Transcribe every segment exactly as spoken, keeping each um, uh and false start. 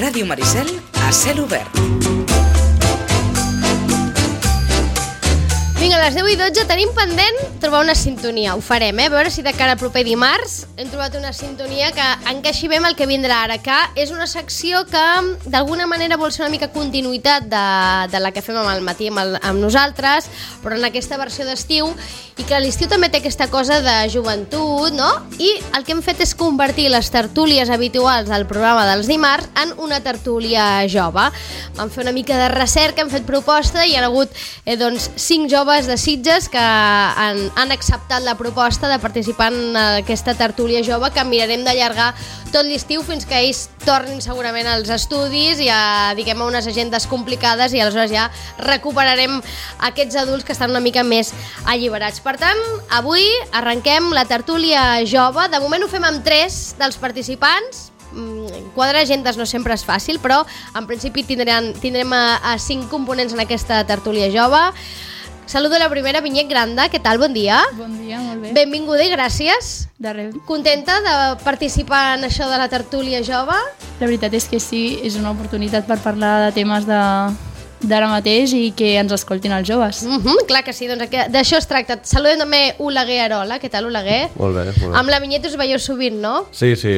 Ràdio Maricel a cel obert. Vinga, a les deu i dotze tenim pendent trobar una sintonia. Ho farem, eh? A veure si de cara al proper dimarts hem trobat una sintonia que encaixi bé amb el que vindrà ara, que és una secció que d'alguna manera vol ser una mica continuïtat de, de la que fem amb el matí amb, el, amb nosaltres, però en aquesta versió d'estiu, i que l'estiu també té aquesta cosa de joventut, no? I el que hem fet és convertir les tertúlies habituals del programa dels dimarts en una tertúlia jove. Vam fer una mica de recerca, hem fet proposta i hi ha hagut eh, doncs, cinc joves de Sitges que han, han acceptat la proposta de participar en aquesta tertúlia jove que mirarem d'allargar tot l'estiu fins que ells tornin segurament als estudis i a, diguem, a unes agendes complicades, i aleshores ja recuperarem aquests adults que estan una mica més alliberats. Per tant, avui arrenquem la tertúlia jove. De moment ho fem amb tres dels participants. Quadrar agendes no sempre és fàcil, però en principi tindrem, tindrem a, a cinc components en aquesta tertúlia jove. Saludo la primera, Vinyet Granda, què tal? Bon dia. Bon dia, molt bé. Benvinguda i gràcies. De res. Contenta de participar en això de la tertúlia jove? La veritat és que sí, és una oportunitat per parlar de temes de d'ara mateix i que ens escoltin els joves. Mm-hmm, clar que sí, doncs d'això es tracta. Saludem també Oleguer Arola. Què tal, Oleguer? Molt bé, molt bé. Amb la Vinyet us veieu sovint, no? Sí, sí,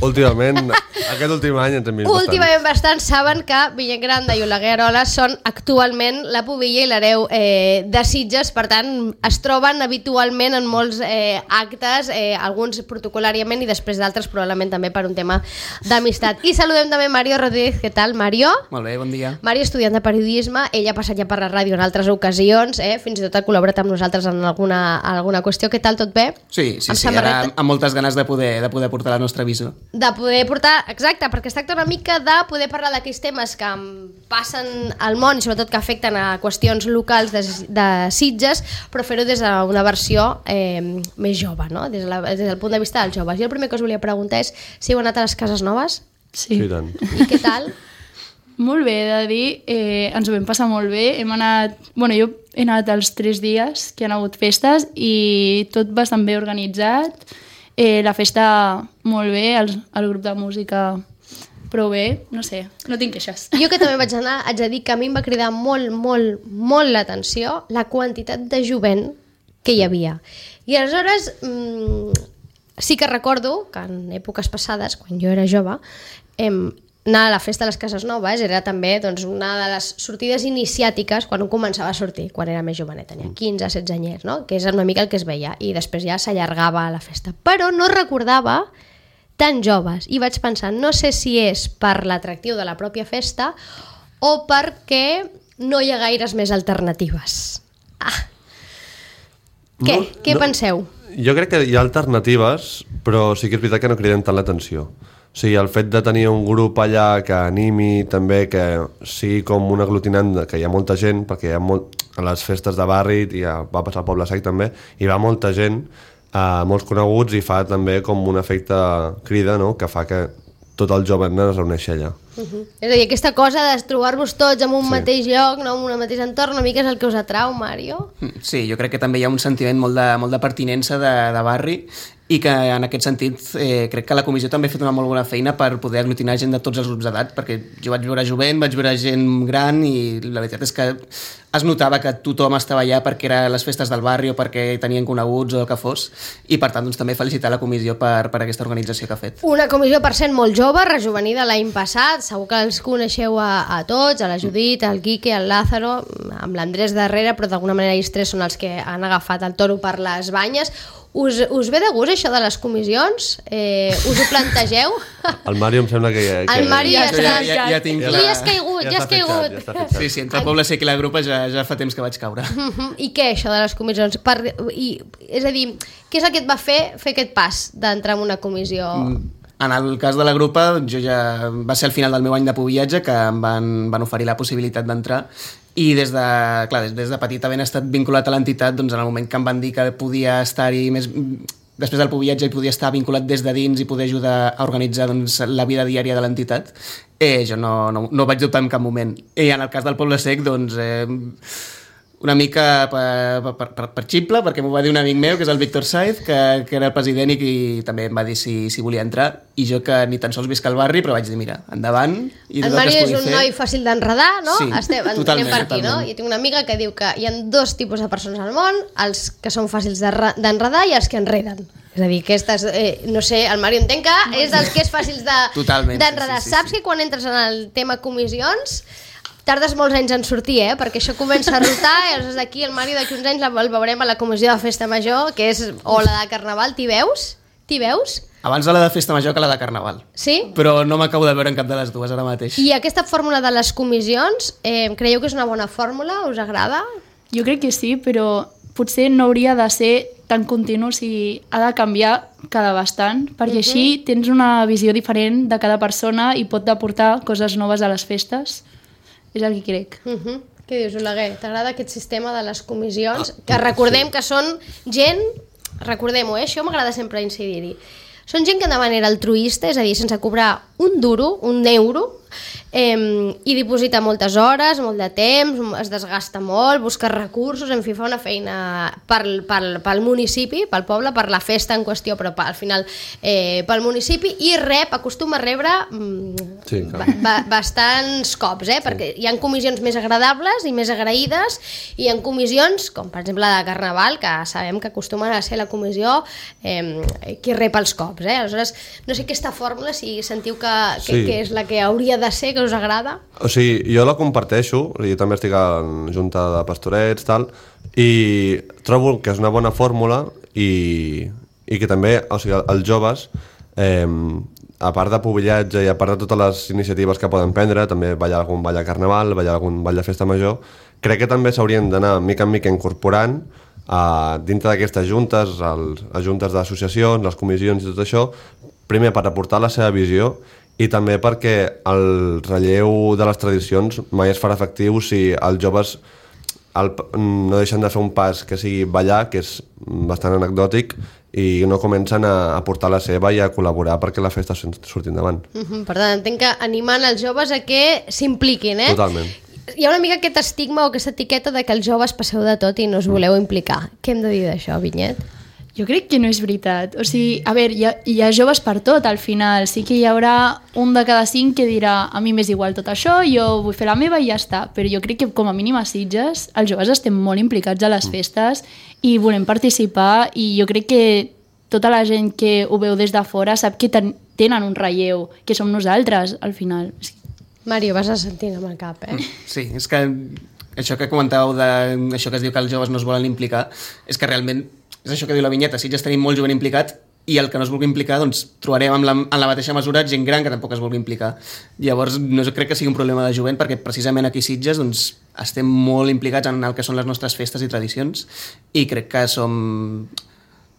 últimament, aquest últim any ens hem vist bastant. Últimament bastant. Saben que Vinyet Granda i Oleguer Arola són actualment la pubilla i l'hereu eh, de Sitges, per tant es troben habitualment en molts eh, actes, eh, alguns protocolàriament i després d'altres probablement també per un tema d'amistat. I saludem també Mario Rodríguez. Què tal, Mario? Molt bé, bon dia. Mario, estudiant de periodisme. Ell ha passat ja per la ràdio en altres ocasions, eh? Fins i tot ha col·laborat amb nosaltres en alguna, alguna qüestió. Què tal, tot bé? Sí, sí, amb sí, ara amb moltes ganes de poder, de poder portar la nostra visió. De poder portar, exacte, perquè es tracta una mica de poder parlar d'aquells temes que passen al món i sobretot que afecten a qüestions locals de, de Sitges, però fer-ho des d'una versió eh, més jove, no? Des, de la, des del punt de vista dels joves. Jo el primer que us volia preguntar és si heu anat a les Cases Noves? Sí. Sí, tant. I què tal? Molt bé, he de dir, eh, ens ho vam passar molt bé. Hem anat, bueno, jo he anat els tres dies que han hagut festes i tot bastant bé organitzat. Eh, la festa molt bé, el, el grup de música prou bé, no sé, no tinc queixes. Jo que també vaig anar, haig de dir que a mi em va cridar molt, molt, molt l'atenció la quantitat de jovent que hi havia. I aleshores mmm, sí que recordo que en èpoques passades, quan jo era jove, em, anar a la festa de les Cases Noves era també doncs, una de les sortides iniciàtiques quan un començava a sortir, quan era més jovenet, tenia quinze, setze anyers, no? Que és una mica el que es veia, i després ja s'allargava la festa. Però no recordava tan joves, i vaig pensar, no sé si és per l'atractiu de la pròpia festa o perquè no hi ha gaires més alternatives. Ah. Què? No, Què no, penseu? Jo crec que hi ha alternatives, però sí que és veritat que no criden tant l'atenció. O sigui, el fet de tenir un grup allà que animi també, que sigui com un aglutinant, que hi ha molta gent, perquè hi ha molt, a les festes de barri, i ja va passar al Poble Sec també, hi va molta gent, eh, molts coneguts, i fa també com un efecte crida, no?, que fa que tot el jovent es reuneixi allà. Uh-huh. És a dir, aquesta cosa de trobar-vos tots en un Sí. mateix lloc, no, en un mateix entorn, una mica és el que us atrau, Mario? Sí, jo crec que també hi ha un sentiment molt de, molt de pertinença de, de barri, i que en aquest sentit eh, crec que la comissió també ha fet una molt bona feina per poder aglutinar gent de tots els grups d'edat, perquè jo vaig veure jovent, vaig veure gent gran, i la veritat és que es notava que tothom estava allà perquè eren les festes del barri o perquè tenien coneguts o el que fos, i per tant doncs, també felicitar la comissió per, per aquesta organització que ha fet. Una comissió, per cent, molt jove, rejuvenida l'any passat, segur que els coneixeu a, a tots, a la Judit, al Quique, al Lázaro, amb l'Andrés darrere, però d'alguna manera ells tres són els que han agafat el toro per les banyes. Us, us ve de gust això de les comissions? Eh, us ho plantegeu? El Mario em sembla que... Ja, que El Mario ja, ja, està... ja, ja, ja tinc Li la... has caigut, ja, ja has caigut. Ja està fitxat. Sí, sí, entre el Poble Sec i la Grupa ja, ja fa temps que vaig caure. I què, això de les comissions? Per, i, és a dir, què és el que et va fer fer aquest pas d'entrar en una comissió? En el cas de la Grupa, jo ja va ser al final del meu any de pubillatge que em van, van oferir la possibilitat d'entrar, i des de, clar, des, des de petit havent estat vinculat a l'entitat, doncs en el moment que em van dir que podia estar-hi més... després del pubillatge i podia estar vinculat des de dins i poder ajudar a organitzar doncs, la vida diària de l'entitat, eh, jo no, no, no vaig dubtar en cap moment. I en el cas del Poble Sec, doncs... Eh, una mica per, per, per, per ximple, perquè m'ho va dir un amic meu, que és el Víctor Saiz, que, que era el president i que també em va dir si, si volia entrar, i jo que ni tan sols visc al barri, però vaig dir, mira, endavant. I el Mario és un fer... noi fàcil d'enredar, no? Sí, Estem, totalment, per aquí, totalment. no? I tinc una amiga que diu que hi ha dos tipus de persones al món, els que són fàcils d'enredar i els que enreden. És a dir, aquestes, eh, no sé, el Mario entenc que és dels que és fàcils d'enredar. Sí, sí, sí, Saps sí. que quan entres en el tema comissions tardes molts anys en sortir, eh? Perquè això comença a rotar i aleshores d'aquí el Mario d'aquí uns anys el veurem a la comissió de festa major, que és, o la de carnaval, t'hi veus? T'hi veus? Abans la de festa major que la de carnaval. Sí? Però no m'acabo de veure en cap de les dues ara mateix. I aquesta fórmula de les comissions, eh, creieu que és una bona fórmula? Us agrada? Jo crec que sí, però potser no hauria de ser tan continu, si ha de canviar cada bastant, perquè uh -huh. així tens una visió diferent de cada persona i pot aportar coses noves a les festes. És el que crec. Uh -huh. Què dius, Oleguer? T'agrada aquest sistema de les comissions? Que recordem sí. que són gent, recordem-ho, eh? Això m'agrada sempre incidir-hi. Són gent que de manera altruista, és a dir, sense cobrar un duro, un euro, eh, i diposita moltes hores, molt de temps, es desgasta molt, busca recursos, en fi, fa una feina pel, pel, pel municipi, pel poble, per la festa en qüestió, però al final eh, pel municipi, i rep, acostuma a rebre mm, sí, ba ba bastants cops, eh? Sí. Perquè hi ha comissions més agradables i més agraïdes, i hi ha comissions, com per exemple la de Carnaval, que sabem que acostumen a ser la comissió eh, qui rep els cops. Eh? Aleshores, no sé aquesta fórmula, si sentiu que, que, sí. que és la que hauria de ser, que us agrada. O sigui, jo la comparteixo, jo també estic en junta de pastorets, tal, i trobo que és una bona fórmula i, i que també, o sigui, els joves, eh, a part de pobillatge i a part de totes les iniciatives que poden prendre, també ballar algun ball de carnaval, ballar algun ball de festa major, crec que també s'haurien d'anar mica en mica incorporant a, dintre d'aquestes juntes, els, les juntes d'associacions, les comissions i tot això, primer per aportar la seva visió i també perquè el relleu de les tradicions mai es farà efectiu si els joves el, no deixen de fer un pas que sigui ballar, que és bastant anecdòtic, i no comencen a aportar la seva i a col·laborar perquè la festa surti endavant. Uh -huh. Per tant, entenc que animant els joves a que s'impliquin, eh? Totalment. Hi ha una mica aquest estigma o aquesta etiqueta de que els joves passeu de tot i no us voleu implicar. Què hem de dir d'això, Vinyet? Jo crec que no és veritat. O sigui, a veure, hi ha, hi ha joves per tot, al final. Sí que hi haurà un de cada cinc que dirà a mi m'és igual tot això, jo vull fer la meva i ja està. Però jo crec que com a mínim a Sitges els joves estem molt implicats a les festes i volem participar, i jo crec que tota la gent que ho veu des de fora sap que ten tenen un relleu, que som nosaltres, al final. Mario, vas assentint amb el cap, eh? Sí, és que això que comentàveu, de, això que es diu que els joves no es volen implicar, és que realment és això que diu la vinyeta, si ja tenim molt jovent implicat i el que no es vulgui implicar, doncs trobarem en la, en la mateixa mesura gent gran que tampoc es vulgui implicar. Llavors no crec que sigui un problema de jovent, perquè precisament aquí a Sitges doncs, estem molt implicats en el que són les nostres festes i tradicions, i crec que som,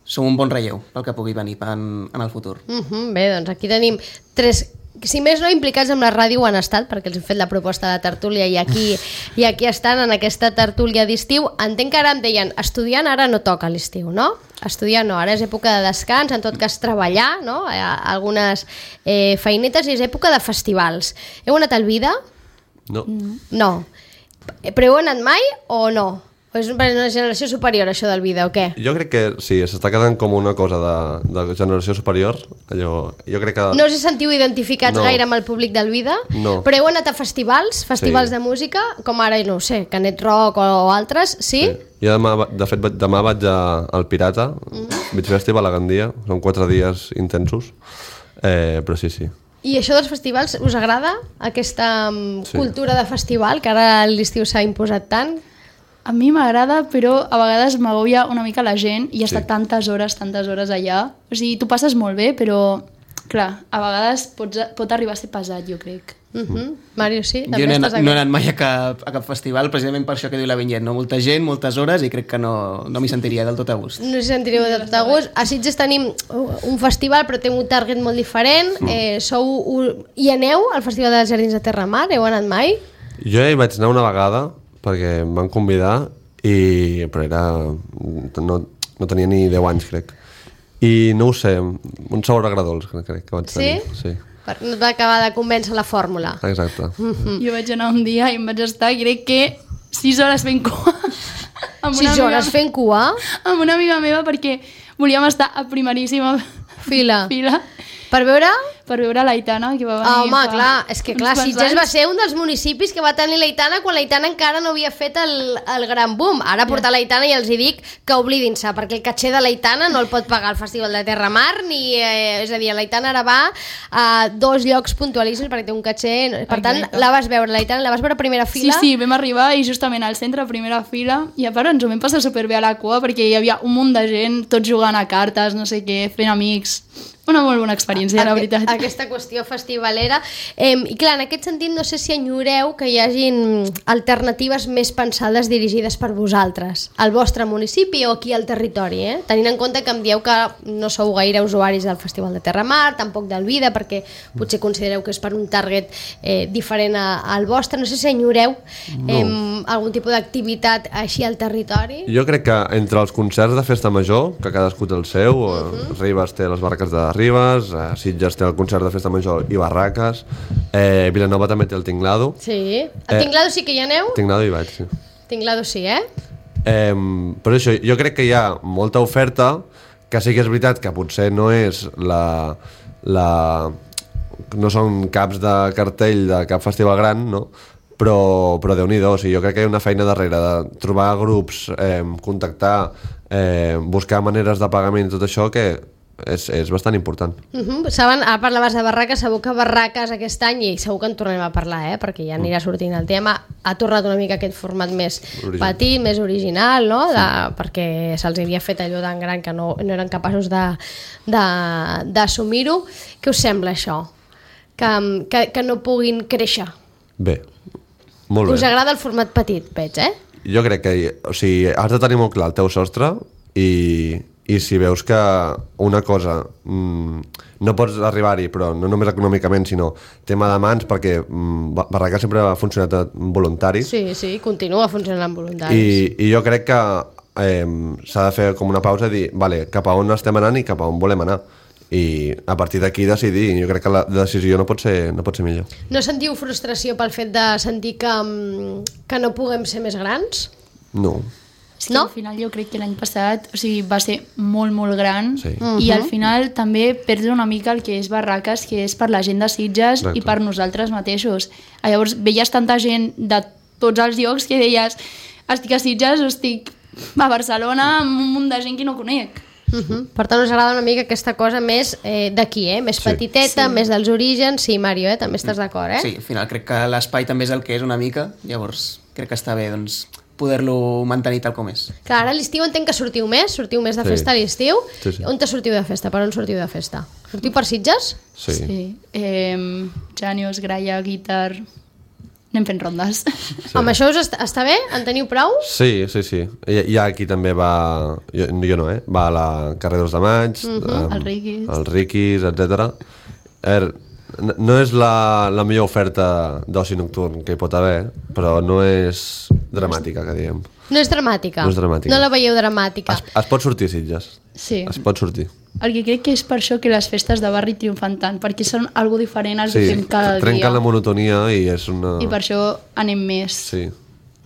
som un bon relleu pel que pugui venir en, en el futur. Uh -huh, bé, doncs aquí tenim tres... Si més no, implicats amb la ràdio han estat, perquè els hem fet la proposta de tertúlia i aquí, i aquí estan en aquesta tertúlia d'estiu. Entenc que ara em deien, estudiant ara no toca l'estiu, no? Estudiar no, ara és època de descans, en tot cas treballar, no? Algunes eh, feinetes, i és època de festivals. Heu anat al Vida? No. No. Però heu anat mai o no? O és una generació superior, això del Vida, o què? Jo crec que sí, s'està quedant com una cosa de, de generació superior. Allò, jo crec que... No us sentiu identificats no. gaire amb el públic del Vida? No. Però heu anat a festivals, festivals sí. de música, com ara, no ho sé, Canet Rock o, o altres, sí? sí. Jo demà, de fet, demà vaig a, al Pirata, mm. Beach Festival a Gandia, són quatre dies intensos, eh, però sí, sí. I això dels festivals, us agrada? Aquesta um, sí. cultura de festival, que ara a l'estiu s'ha imposat tant? A mi m'agrada, però a vegades m'agobia una mica la gent i estar Sí. tantes hores, tantes hores allà. O sigui, tu passes molt bé, però, clar, a vegades pots, pot arribar a ser pesat, jo crec. Uh -huh. Mario, sí? Jo no he, anat, no he anat mai a cap, a cap festival, precisament per això que diu la vinyet, no? Molta gent, moltes hores, i crec que no, no m'hi sentiria del tot a gust. No s'hi sentireu de tot a gust. A Sitges tenim un festival, però té un target molt diferent. Mm. Eh, sou un... I aneu al Festival dels Jardins de Terramar? Heu anat mai? Jo hi vaig anar una vegada, perquè em van convidar, i... però era... No, no tenia ni deu anys, crec. I no ho sé, un sabor agradós, crec que vaig tenir. Sí? Sí. Per, no et va acabar de convèncer la fórmula. Exacte. Mm-hmm. Jo vaig anar un dia i em vaig estar, crec que sis hores fent cua. Amb una Sis amiga hores me- fent cua? Amb una amiga meva perquè volíem estar a primeríssima Fila. fila Per veure? per veure l'Aitana, que va venir Ah, home, fa clar, és que clar, uns quants Sitges va anys. ser un dels municipis que va tenir l'Aitana quan l'Aitana encara no havia fet el, el gran boom. Ara portar l'Aitana i els hi dic que oblidin-se, perquè el caché de l'Aitana no el pot pagar el Festival de Terramar, ni, eh, és a dir, l'Aitana ara va a dos llocs puntualíssims perquè té un caché... Per tant, Exacte. la vas veure, l'Aitana, la vas veure a primera Sí, fila? sí, vam arribar i justament al centre, a primera fila, i a part ens ho vam passar superbé a la cua perquè hi havia un munt de gent, tots jugant a cartes, no sé què, fent amics... Una molt bona experiència, la veritat. Aquesta qüestió festivalera. Eh, I clar, en aquest sentit, no sé si enyoreu que hi hagin alternatives més pensades dirigides per vosaltres, al vostre municipi o aquí al territori, eh? Tenint en compte que em dieu que no sou gaire usuaris del Festival de Terramar, tampoc del Vida, perquè potser considereu que és per un target eh, diferent a, al vostre. No sé si enyoreu eh, no. algun tipus d'activitat així al territori. Jo crec que entre els concerts de Festa Major, que cadascú té el seu, uh -huh. Ribes té les barraques de Ribes, eh, Sitges té el concert de Festa Major i barraques, eh, Vilanova també té el Tinglado. Sí. A Tinglado sí que hi aneu? Tinglado hi vaig, sí. Tinglado sí, eh? Eh, però això, jo crec que hi ha molta oferta, que sí que és veritat que potser no és la... la no són caps de cartell de cap festival gran, no? però, però Déu-n'hi-do, o sigui, jo crec que hi ha una feina darrere de trobar grups, eh, contactar, eh, buscar maneres de pagament i tot això que és, és bastant important. Uh -huh. Saben, ara parlaves de barraques, segur que barraques aquest any, i segur que en tornem a parlar, eh? perquè ja anirà sortint el tema, ha tornat una mica aquest format més Original. petit, més original, no? de, perquè se'ls havia fet allò tan gran que no, no eren capaços d'assumir-ho. Què us sembla això? Que, que, que no puguin créixer? Bé, molt bé. Us agrada el format petit, veig, eh? Jo crec que, o sigui, has de tenir molt clar el teu sostre i, i si veus que una cosa mmm, no pots arribar-hi, però no només econòmicament, sinó tema de mans, perquè mmm, Barraca sempre ha funcionat amb voluntaris. Sí, sí, continua funcionant amb voluntaris. I, i jo crec que eh, s'ha de fer com una pausa i dir, vale, cap a on estem anant i cap a on volem anar. I a partir d'aquí decidir. Jo crec que la decisió no pot ser, no pot ser millor. No sentiu frustració pel fet de sentir que, mm, que no puguem ser més grans? No. És que No? al final jo crec que l'any passat, o sigui, va ser molt, molt gran, Sí. i al final també perdre una mica el que és Barraques, que és per la gent de Sitges Exacte. i per nosaltres mateixos. Llavors veies tanta gent de tots els llocs que deies, estic a Sitges o estic a Barcelona amb un munt de gent que no conec. Uh -huh. Per tant, us agrada una mica aquesta cosa més eh, d'aquí, eh? Més Sí. petiteta, Sí. més dels orígens. Sí, Mario, eh? També estàs d'acord, eh? Sí, al final crec que l'espai també és el que és una mica, llavors crec que està bé doncs, poder-lo mantenir tal com és. Clar, ara a l'estiu entenc que sortiu més, sortiu més de Sí. festa a l'estiu. Sí, sí. On te sortiu de festa? Per on sortiu de festa? Sortiu per Sitges? Sí. sí. Sí. Eh, Janios, Graia, Guitar... Anem fent rondes. Sí. Amb això us est està bé? En teniu prou? Sí, sí, sí. Hi, hi ha aquí també va... Jo, jo no, eh? Va a la carrer dos de maig, Mhm. um, El Riquis. el Riquis, etcètera. Er, n- no és la, la millor oferta d'oci nocturn que hi pot haver, però no és dramàtica, que diguem. No és dramàtica? No és dramàtica. No la veieu dramàtica? Es, es pot sortir, Sitges. Sí. Es pot sortir. El que crec que és per això que les festes de barri triomfan tant, perquè són algo diferent al Sí, que fem cada trenquen dia. la monotonia i és una... I per això anem més. Sí.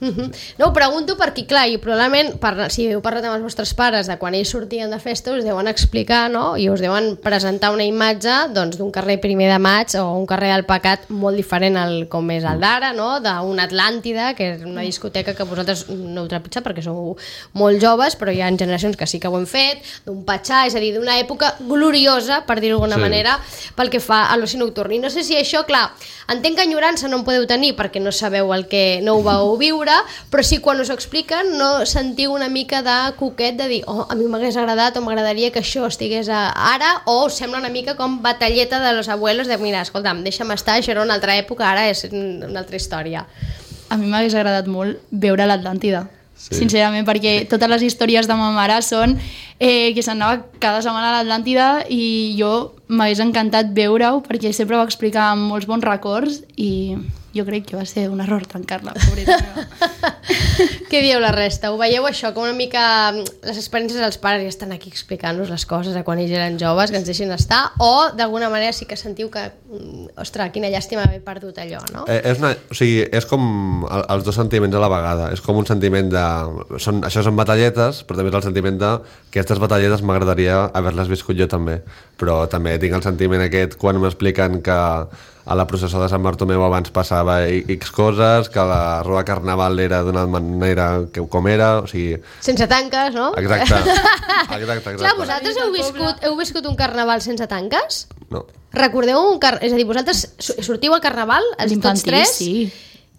Uh -huh. No, ho pregunto perquè, clar, i probablement, per, si heu parlat amb els vostres pares de quan ells sortien de festa, us deuen explicar, no?, i us deuen presentar una imatge doncs, d'un carrer primer de maig o un carrer del Pecat molt diferent al com és el d'ara, no?, d'una Atlàntida, que és una discoteca que vosaltres no heu trepitjat perquè sou molt joves, però hi ha generacions que sí que ho hem fet, d'un Patxà, és a dir, d'una època gloriosa, per dir-ho d'alguna Sí. manera, pel que fa a l'oci nocturn. I no sé si això, clar, entenc que enyorança no en podeu tenir perquè no sabeu el que no ho vau viure, però sí, quan us ho expliquen no sentiu una mica de coquet de dir, oh, a mi m'hagués agradat o m'agradaria que això estigués a ara, o us sembla una mica com batalleta de los abuelos de, mira, escolta'm, deixa'm estar, això era una altra època, ara és una altra història. A mi m'hagués agradat molt veure l'Atlàntida, Sí. sincerament, perquè totes les històries de ma mare són eh, que s'anava cada setmana a l'Atlàntida i jo m'hagués encantat veure-ho perquè sempre va explicar amb molts bons records i jo crec que va ser un error tancar-la, pobreta meva. Què dieu la resta? Ho veieu això com una mica les experiències dels pares ja estan aquí explicant-nos les coses a quan ells eren joves, que ens deixin estar, o d'alguna manera sí que sentiu que ostres, quina llàstima haver perdut allò, no? Eh, és, una, o sigui, és com el, els dos sentiments a la vegada. És com un sentiment de... Són, això són batalletes, però també és el sentiment de que aquestes batalletes m'agradaria haver-les viscut jo també. Però també tinc el sentiment aquest quan m'expliquen que a la processó de Sant Bartomeu abans passava X coses, que la roda carnaval era d'una manera que com era, o sigui... Sense tanques, no? Exacte, exacte, exacte. Clar, vosaltres heu viscut, heu viscut un carnaval sense tanques? No. Recordeu un car... És a dir, vosaltres sortiu al carnaval, els tots tres? Sí.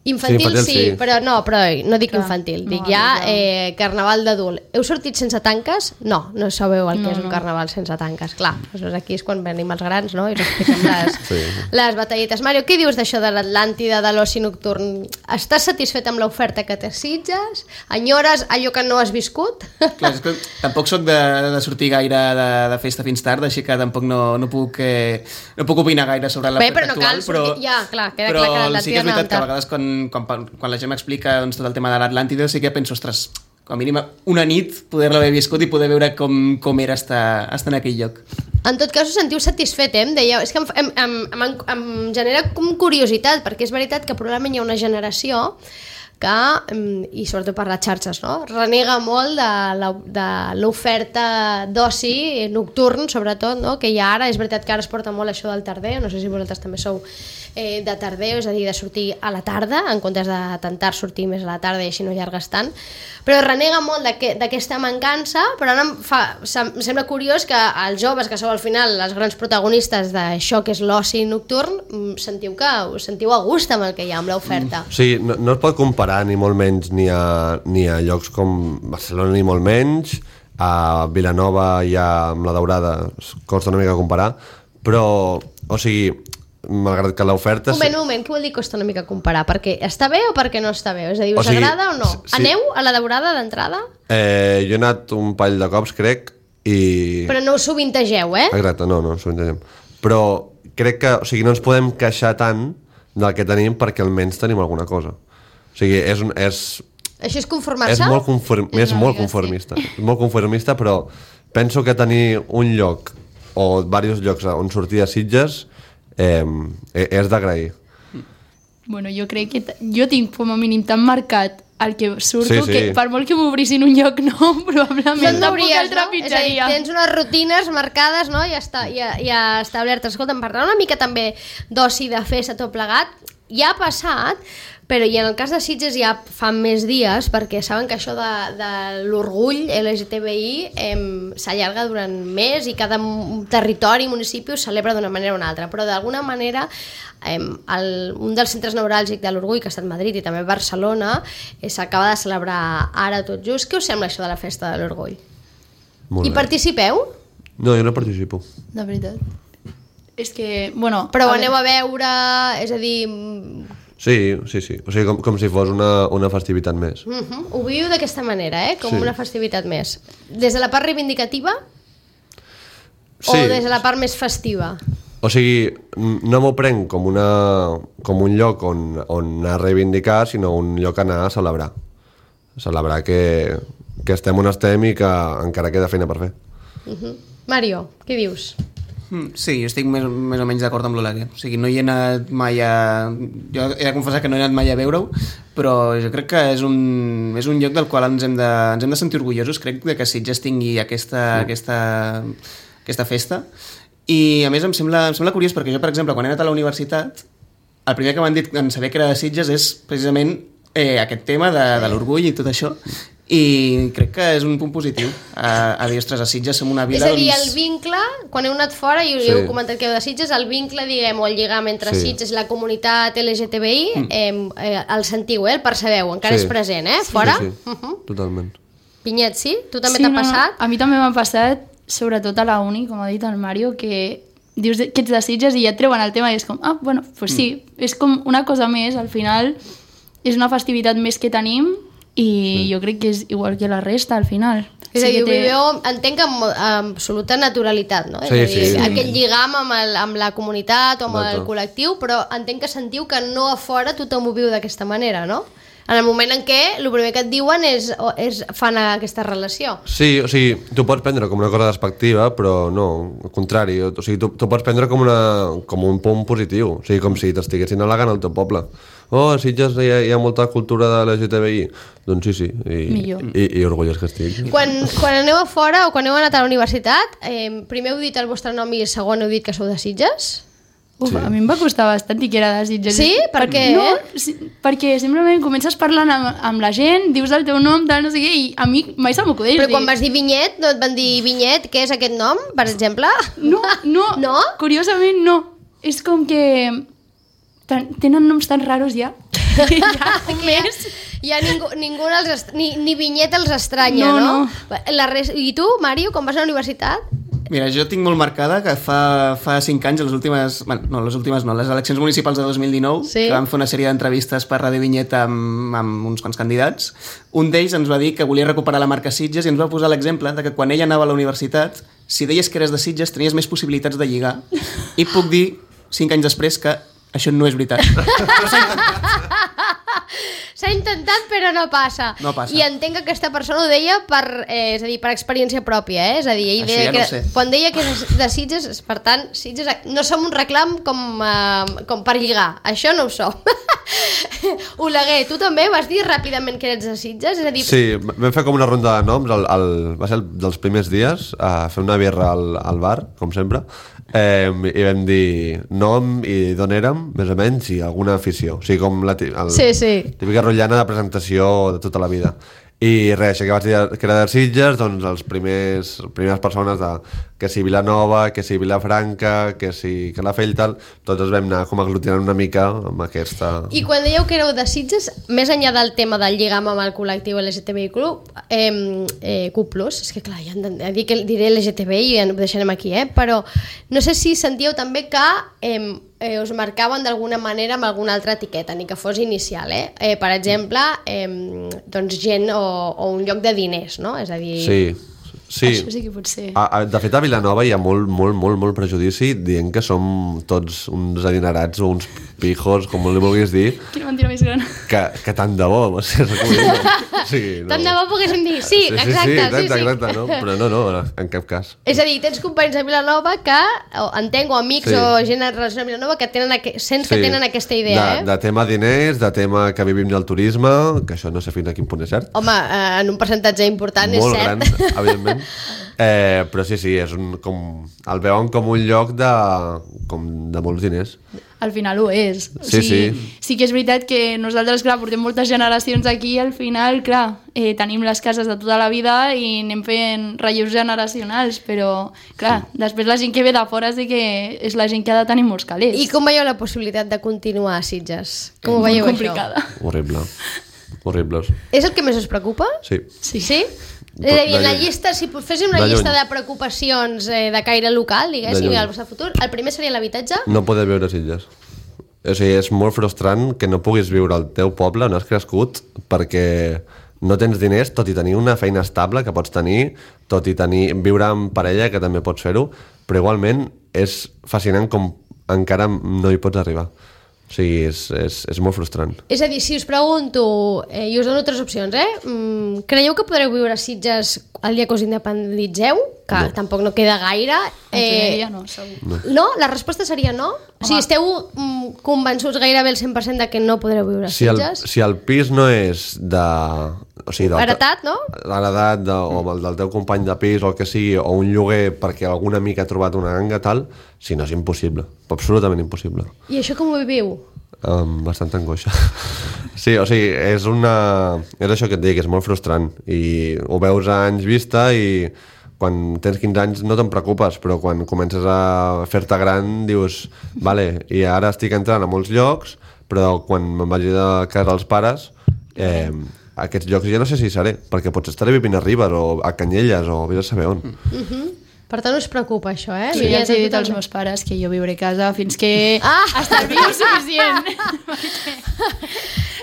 Infantil, sí, infantil sí, sí, però no, però no dic Clar, infantil, no, dic ja no. eh, carnaval d'adult. Heu sortit sense tanques? No, no sabeu el que No, és un no. carnaval sense tanques. Clar, doncs aquí és quan venim els grans, no? I us expliquem les, Sí. les batalletes. Mario, què dius d'això de l'Atlàntida, de l'oci nocturn? Estàs satisfet amb l'oferta que t'assitges? Enyores allò que no has viscut? Clar, és que tampoc sóc de, de sortir gaire de, de festa fins tard, així que tampoc no, no, puc, eh, no puc opinar gaire sobre Bé, l'oferta però no actual. cal sortir... Ja, clar, queda però clar que l'Atlàntida sí que és no veritat que a tard. vegades quan, quan, quan la gent m'explica doncs, tot el tema de l'Atlàntida sí que penso, ostres, com a mínim una nit poder-la haver viscut i poder veure com, com era estar, estar en aquell lloc. En tot cas, us sentiu satisfet, eh? Em dèieu, és que em, em, em, em, em genera com curiositat, perquè és veritat que probablement hi ha una generació que, i sobretot per les xarxes, no? renega molt de la- de l'oferta d'oci nocturn, sobretot, no? Que hi ha ara. És veritat que ara es porta molt això del tardeo, no sé si vosaltres també sou eh, de tardeo, és a dir, de sortir a la tarda, en comptes de tentar sortir més a la tarda i així no allargues tant, però renega molt d'aquest- d'aquesta mancança, però ara em, fa, em sembla curiós que els joves, que sou al final els grans protagonistes d'això que és l'oci nocturn, mm, sentiu que us sentiu a gust amb el que hi ha, amb l'oferta. O sigui, no, no es pot comparar ni molt menys ni a, ni a llocs com Barcelona ni molt menys, a Vilanova i a, amb la Daurada es costa una mica comparar, però, o sigui, malgrat que l'oferta... Un moment, un moment, què vol dir costa una mica comparar? Perquè està bé o perquè no està bé? És a dir, us O sigui, agrada o no? sí. Aneu a la Daurada d'entrada? Eh, jo he anat un parell de cops, crec, i... Però no us sovintegeu, eh? Exacte, no, no, s'ho entenem. Però crec que, o sigui, no ens podem queixar tant del que tenim perquè almenys tenim alguna cosa. O sigui, és, un, és, Això és conformar-se? és molt, conform, És és una molt mica, conformista. És molt conformista, però penso que tenir un lloc o diversos llocs on sortir a Sitges eh, és d'agrair. Bueno, jo crec que t- jo tinc com a mínim tan marcat el que surto, Sí, sí. que per molt que m'obrissin un lloc nou, probablement No tampoc hauries, el no? És a dir, trepitjaria. tens unes rutines marcades, no? Ja, està, ja, ja establertes. Escolta, em parla una mica també d'oci, de festa, tot plegat. Ja ha passat, però i en el cas de Sitges ja fa més dies, perquè saben que això de, de l'orgull L G T B I eh, s'allarga durant més i cada m- territori i municipi ho celebra d'una manera o una altra, però d'alguna manera eh, el, un dels centres neuràlgics de l'orgull, que ha estat Madrid i també Barcelona, eh, s'acaba de celebrar ara tot just. Què us sembla això de la festa de l'orgull? Molt I bé. participeu? No, jo no participo. De veritat. És que, bueno... Però ho a aneu veure, a veure, és a dir... mm, Sí, sí, sí. O sigui, com, com si fos una, una festivitat més. Uh -huh. Ho viu d'aquesta manera, eh? Com Sí. una festivitat més. Des de la part reivindicativa Sí. o des de la part més festiva? O sigui, n- no m'ho prenc com, una, com un lloc on, on anar a reivindicar, sinó un lloc a anar a celebrar. Celebrar que, que estem on estem i que encara queda feina per fer. Uh -huh. Mario, què dius? Mm, Sí, jo estic més, més o menys d'acord amb l'Olàlia. O sigui, no hi he anat mai a... Jo he de confessar que no he anat mai a veure-ho, però jo crec que és un, és un lloc del qual ens hem de, ens hem de sentir orgullosos, crec, de que Sitges tingui aquesta, mm. aquesta, aquesta festa. I, a més, em sembla, em sembla curiós, perquè jo, per exemple, quan he anat a la universitat, el primer que m'han dit en saber que era de Sitges és precisament eh, aquest tema de, de l'orgull i tot això. I crec que és un punt positiu a, a dir, ostres, a Sitges som una vila... És a dir, doncs... el vincle, quan heu anat fora i Sí. heu comentat que heu de Sitges, el vincle, diguem, o el lligam entre Sí. Sitges i la comunitat L G T B I, mm. eh, eh, el sentiu, eh? El percebeu, encara Sí. és present, eh? Fora? Sí, sí, Uh -huh. totalment. Pinyet, sí? Tu també sí, t'ha no, no, passat? A mi també m'ha passat, sobretot a la uni, com ha dit el Mario, que dius que ets de Sitges i ja et treuen el tema i és com, ah, bueno, pues sí, mm. és com una cosa més, al final és una festivitat més que tenim i sí. jo crec que és igual que la resta al final. És Sí a dir, que ho té- viveu, entenc que amb, amb absoluta naturalitat, no? Sí, és a dir, sí. aquest lligam amb, el, amb la comunitat o amb Exacte. el col·lectiu, però entenc que sentiu que no a fora tothom ho viu d'aquesta manera, no? En el moment en què el primer que et diuen és, o- és fan aquesta relació. Sí, o sigui, tu pots prendre com una cosa despectiva, però no, al contrari. O sigui, tu, tu pots prendre com, una, com un punt positiu. O sigui, com si t'estiguessin al·legant al teu poble. Oh, a Sitges hi ha, hi ha molta cultura de l'L G T B I. Doncs sí, sí. I, Millor. i, i orgullós que estic. Quan, quan aneu a fora o quan heu anat a la universitat, eh, primer heu dit el vostre nom i segon heu dit que sou de Sitges? Uf, Sí. a mi em va costar bastant dir que era de Sitges. Sí? Per què? No, sí, perquè simplement comences parlant amb, amb la gent, dius el teu nom, tal, no sé què, i a mi mai se m'acudeix Però dir... quan vas dir Vinyet, no et van dir Vinyet, què és aquest nom, per exemple? No, no, No? curiosament no. És com que ten- tenen noms tan raros ja. ja més. Ja ningú, ningú els est... ni, ni Vinyet els estranya, No, no? no. La res... I tu, Mario, quan vas a la universitat? Mira, jo tinc molt marcada que fa, fa cinc anys, les últimes, bueno, no, les últimes no, les eleccions municipals de dos mil dinou, Sí. que vam fer una sèrie d'entrevistes per Ràdio Vinyeta amb, amb uns quants candidats, un d'ells ens va dir que volia recuperar la marca Sitges i ens va posar l'exemple de que quan ella anava a la universitat, si deies que eres de Sitges, tenies més possibilitats de lligar. I puc dir, cinc anys després, que això no és veritat. S'ha intentat però no passa. No passa. I entenc que aquesta persona ho deia per, eh, és a dir, per experiència pròpia, eh? És a dir, ell Això deia ja no que, ho sé. quan deia que és de Sitges, per tant, Sitges no som un reclam com, eh, com per lligar. Això no ho som. Oleguer, tu també vas dir ràpidament que eres de Sitges? És a dir, Sí, vam fer com una ronda de noms, el, el, va ser el dels primers dies, a fer una birra al, al bar, com sempre, eh, i vam dir nom i d'on érem, més o menys, i alguna afició. O sigui, com la ti- el, Sí, sí. típica rotllana de presentació de tota la vida. I res, això que vaig dir que era de Sitges, doncs els primers, primeres persones de que si Vilanova, que si Vilafranca, que si Calafell, tal, tots ens vam anar com aglutinant una mica amb aquesta... I quan dèieu que éreu de Sitges, més enllà del tema del lligam amb el col·lectiu L G T B I Club, eh, eh, Q plus, és que clar, ja hem de dir que diré L G T B I i ja ho deixarem aquí, eh? Però no sé si sentíeu també que eh, eh, us marcaven d'alguna manera amb alguna altra etiqueta, ni que fos inicial, eh? eh per exemple, eh, doncs gent o, o un lloc de diners, no? És a dir... Sí, sí. Això sí que pot ser. A, a, de fet, a Vilanova hi ha molt, molt, molt, molt prejudici dient que som tots uns adinerats o uns pijos, com li vulguis dir, Quina mentira més gran. que, que tant de bo, o sigui, o sigui, no. Tant de bo poguéssim dir, sí, sí, exacte, sí, sí, exacte, sí. exacte, no? Però no, no, en cap cas. És a dir, tens companys de Vilanova que, o entenc, o amics Sí. o gent en relació amb Vilanova que tenen, aqu... sents que tenen aquesta idea, de, eh? de tema diners, de tema que vivim del turisme, que això no sé fins a quin punt és cert. Home, eh, en un percentatge important Molt és cert. gran, evidentment. Eh, però sí, sí, és un, com, el veuen com un lloc de, com de molts diners. Al final ho és. O Sí, sigui, sí. Sí que és veritat que nosaltres, clar, portem moltes generacions aquí i al final, clar, eh, tenim les cases de tota la vida i anem fent relleus generacionals, però, clar, després la gent que ve de fora sí que és la gent que ha de tenir molts calés. I com veieu la possibilitat de continuar a Sitges? Com ho Molt veieu, complicada. això? Horrible. Horribles. És el que més us preocupa? Sí. Sí. Sí? És a dir, en la De lluny. llista, si féssim una De lluny. llista de preocupacions eh, de caire local, De diguéssim, lluny. al vostre futur, el primer seria l'habitatge? No poder viure a Sitges. O sigui, és molt frustrant que no puguis viure al teu poble on has crescut perquè no tens diners, tot i tenir una feina estable que pots tenir, tot i tenir, viure amb parella, que també pots fer-ho, però igualment és fascinant com encara no hi pots arribar. O sigui, és, és, és molt frustrant. És a dir, si us pregunto, eh, i us dono tres opcions, eh? Mm, creieu que podreu viure a Sitges el dia que us independitzeu? Que No. tampoc no queda gaire. Eh... Ja no, segur. No. No? La resposta seria no? O sigui, esteu mm, convençuts gairebé el cent per cent de que no podreu viure a Si el, Sitges? si el pis no és de... O sigui, del, Heretat, no? Heretat, de, o el del teu company de pis o el que sigui, o un lloguer perquè algun amic ha trobat una ganga, tal, si no és impossible, absolutament impossible. I això com ho viviu? Amb bastanta angoixa. Sí, o sigui, és una... És això que et dic, és molt frustrant. I ho veus a anys vista i quan tens quinze anys no te'n preocupes, però quan comences a fer-te gran dius, vale, i ara estic entrant a molts llocs, però quan me'n vagi de casa als pares, eh, aquests llocs ja no sé si hi seré, perquè potser estaré vivint a Ribes o a Canyelles o vés a saber on. Per tant, us preocupa això, eh? Sí, ja els he dit als Totalment. meus pares que jo viuré a casa fins que Ah! estalvio suficient.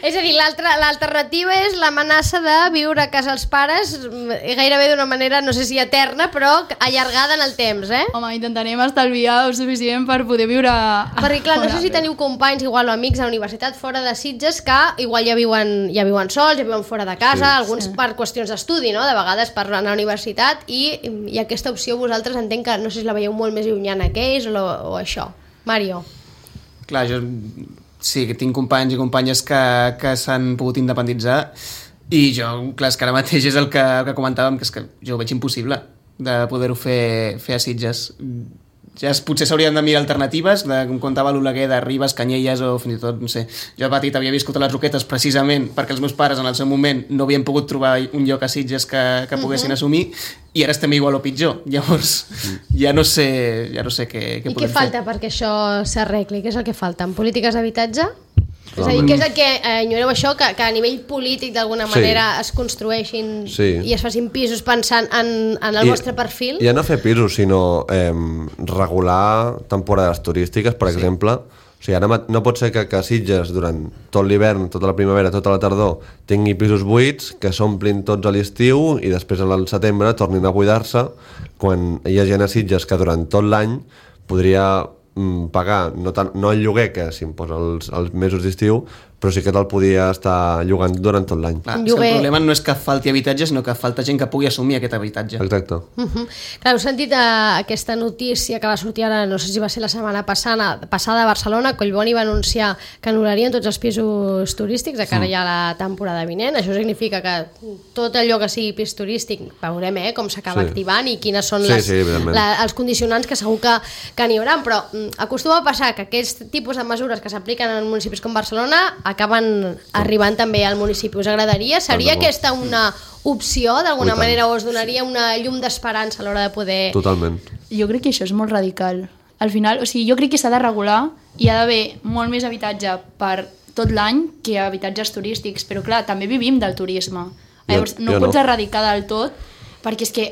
És a dir, l'alternativa és l'amenaça de viure a casa els pares gairebé d'una manera, no sé si eterna, però allargada en el temps, eh? Home, intentarem estalviar el suficient per poder viure... Perquè, clar, no sé si teniu companys igual o amics a la universitat fora de Sitges que igual ja viuen, ja viuen sols, ja viuen fora de casa, sí, alguns sí. per qüestions d'estudi, no? De vegades per anar a la universitat, i, i aquesta opció vosaltres entenc que no sé si la veieu molt més llunyana que ells o, o això. Mario. Clar, jo sí que tinc companys i companyes que, que s'han pogut independitzar i jo, clar, és que ara mateix és el que, el que comentàvem, que és que jo ho veig impossible de poder-ho fer, fer a Sitges. Ja es, potser s'haurien de mirar alternatives, de, com contava l'Oleguer, de Ribes, Canyelles o fins i tot, no sé, jo de petit havia viscut a les Roquetes precisament perquè els meus pares en el seu moment no havien pogut trobar un lloc a Sitges que, que poguessin uh -huh. assumir, i ara estem igual o pitjor, llavors ja no sé, ja no sé què, què I podem què falta fer. perquè això s'arregli? Què és el que falta? En polítiques d'habitatge? És a dir, què és el que eh, ignoreu això, que, que a nivell polític d'alguna manera sí. es construeixin sí. i es facin pisos pensant en, en el I, vostre perfil? Ja no fer pisos, sinó eh, regular temporades turístiques, per sí. exemple. O sigui, ara no pot ser que, que Sitges durant tot l'hivern, tota la primavera, tota la tardor tingui pisos buits, que s'omplin tots a l'estiu i després al setembre tornin a buidar-se, quan hi ha gent a Sitges que durant tot l'any podria pagar, no, tant, no el lloguer que s'imposa els, els mesos d'estiu, però sí que te'l podia estar llogant durant tot l'any. Clar, és que el problema no és que falti habitatge, sinó que falta gent que pugui assumir aquest habitatge. Exacte. Uh-huh. Clar, heu sentit uh, aquesta notícia que va sortir ara, no sé si va ser la setmana passada, passada a Barcelona, Collboni va anunciar que anul·larien tots els pisos turístics de cara mm. ja a la temporada vinent. Això significa que tot allò que sigui pis turístic, veurem eh, com s'acaba sí. activant i quines són sí, les, sí, la, els condicionants que segur que, que n'hi haurà, però mm, acostuma a passar que aquest tipus de mesures que s'apliquen en municipis com Barcelona acaben arribant també al municipi. Us agradaria? Seria aquesta una opció, d'alguna manera, o us donaria una llum d'esperança a l'hora de poder... Totalment. Jo crec que això és molt radical. Al final, o sigui, jo crec que s'ha de regular i hi ha d'haver molt més habitatge per tot l'any que habitatges turístics, però clar, també vivim del turisme. Llavors, no jo pots no. erradicar del tot, perquè és que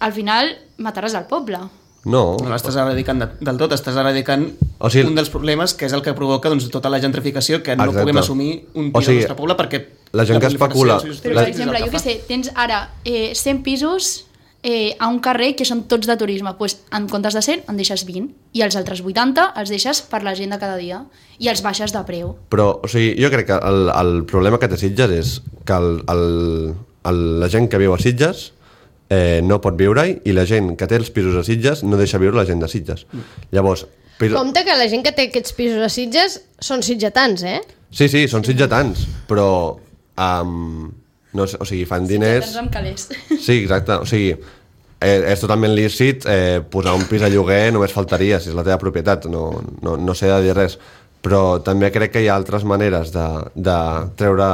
al final mataràs al poble. No. No l'estàs erradicant de, del tot, estàs erradicant o sigui, un dels problemes que és el que provoca doncs, tota la gentrificació, que no exacte. puguem assumir un pis o sigui, al nostre poble perquè... La gent que especula... Però, per exemple, jo què sé, tens ara eh, cent pisos eh, a un carrer que són tots de turisme, doncs en comptes de cent en deixes vint i els altres vuitanta els deixes per la gent de cada dia i els baixes de preu. Però, o sigui, jo crec que el, el problema que té Sitges és que el, el, el, la gent que viu a Sitges Eh, no pot viure-hi i la gent que té els pisos a Sitges no deixa viure la gent de Sitges. Llavors... Piso... Compte que la gent que té aquests pisos a Sitges són sitgetans, eh? Sí, sí, són sitgetans, però... Um, no sé, o sigui, fan diners... Sitgetans amb calés. Sí, exacte, o sigui... Eh, és totalment lícit eh, posar un pis a lloguer, només faltaria, si és la teva propietat, no, no, no sé de dir res. Però també crec que hi ha altres maneres de, de treure...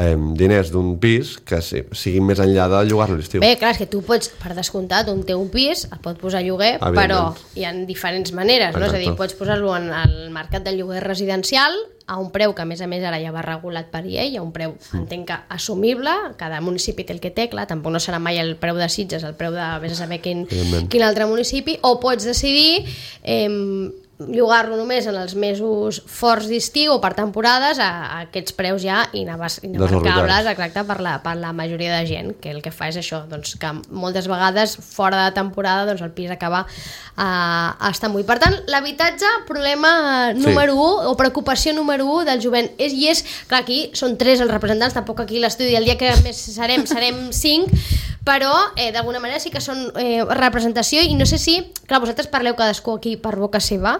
Eh, diners d'un pis que siguin més enllà de llogar-lo a l'estiu. Bé, clar, és que tu pots, per descomptat, un teu pis el pot posar a lloguer, però hi ha diferents maneres, no? És a dir, pots posar-lo en el mercat del lloguer residencial a un preu que a més a més ara ja va regulat per llei, a un preu, mm. entenc que assumible, cada municipi té el que té, clar, tampoc no serà mai el preu de Sitges, el preu de vés a saber quin, quin altre municipi, o pots decidir eh, llogar-lo només en els mesos forts d'estiu o per temporades a, a aquests preus ja inabarcables, exacte, per la, per la majoria de gent, que el que fa és això, doncs, que moltes vegades fora de temporada doncs, el pis acaba uh, estant buit. Per tant, l'habitatge, problema número sí. un o preocupació número un del jovent és, i és, clar, aquí són tres els representants, tampoc aquí l'estudi, el dia que més serem, serem cinc, però eh, d'alguna manera sí que són eh, representació i no sé si, clar, vosaltres parleu cadascú aquí per boca seva,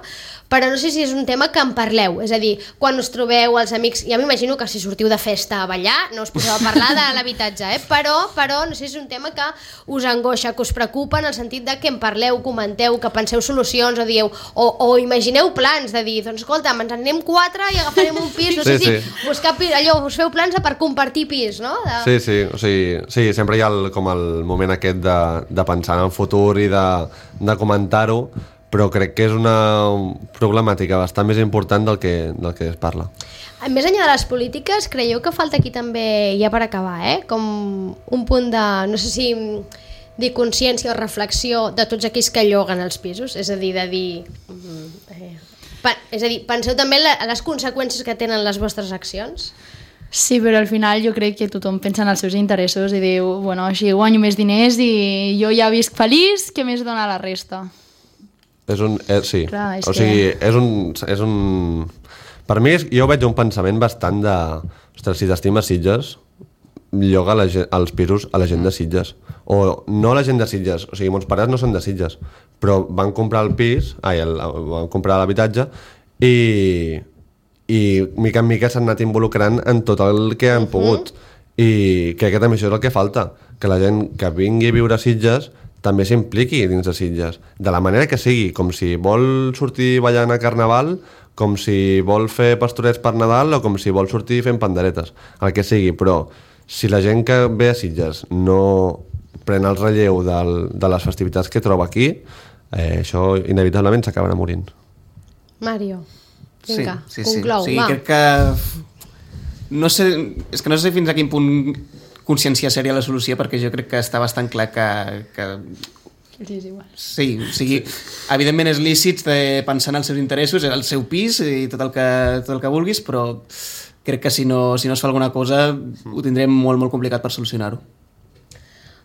però no sé si és un tema que en parleu, és a dir, quan us trobeu els amics, ja m'imagino que si sortiu de festa a ballar no us poseu a parlar de l'habitatge, eh? però, però no sé si és un tema que us angoixa, que us preocupa en el sentit de que en parleu, comenteu, que penseu solucions o dieu, o, o imagineu plans de dir, doncs escolta, ens en anem quatre i agafarem un pis, no sé sí, si sí. buscar pis, allò, us feu plans per compartir pis, no? De... Sí, sí, o sigui, sí, sempre hi ha el, com el moment aquest de, de pensar en el futur i de, de comentar-ho, però crec que és una problemàtica bastant més important del que, del que es parla. Més enllà de les polítiques, creieu que falta aquí també, ja per acabar, eh? com un punt de, no sé si dir consciència o reflexió de tots aquells que lloguen els pisos, és a dir, de dir... Eh, Pa és a dir, penseu també en la, en les conseqüències que tenen les vostres accions? Sí, però al final jo crec que tothom pensa en els seus interessos i diu, bueno, així guanyo més diners i jo ja visc feliç, què més dona la resta? És un... Eh, sí, Clar, és o sigui, és un... És un... Per mi, és, jo veig un pensament bastant de... Ostres, si t'estimes Sitges, lloga la, els pisos a la gent de Sitges. O no la gent de Sitges, o sigui, mons pares no són de Sitges, però van comprar el pis, ai, el, van comprar l'habitatge i, i mica en mica s'han anat involucrant en tot el que han pogut. I crec que també això és el que falta, que la gent que vingui a viure a Sitges també s'impliqui dins de Sitges, de la manera que sigui, com si vol sortir ballant a Carnaval, com si vol fer pastorets per Nadal o com si vol sortir fent panderetes, el que sigui, però si la gent que ve a Sitges no pren el relleu del, de les festivitats que troba aquí, eh, això inevitablement s'acabarà morint. Mario, vinga, sí, sí, sí. conclou, sí, va. crec que... No sé, és que no sé fins a quin punt conscienciar seria la solució, perquè jo crec que està bastant clar que... que... Sí, és igual. Sí, o sigui, evidentment és lícit de pensar en els seus interessos, el seu pis i tot el que, tot el que vulguis, però crec que si no, si no es fa alguna cosa ho tindrem molt, molt complicat per solucionar-ho.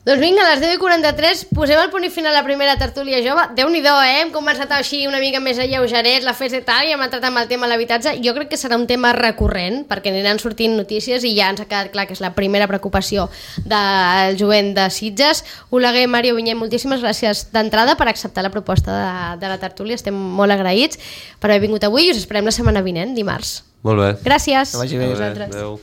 Doncs vinga, a les deu i quaranta-tres posem el punt i final a la primera tertúlia jove. Déu-n'hi-do, eh? Hem començat així una mica més alleugerets, la festa i tal, i hem entrat amb el tema de l'habitatge. Jo crec que serà un tema recurrent, perquè aniran sortint notícies i ja ens ha quedat clar que és la primera preocupació del jovent de Sitges. Oleguer, Mario, Vinyet, moltíssimes gràcies d'entrada per acceptar la proposta de, de la tertúlia. Estem molt agraïts per haver vingut avui i us esperem la setmana vinent, dimarts. Molt bé. Gràcies. Que vagi bé. A vosaltres. Adéu.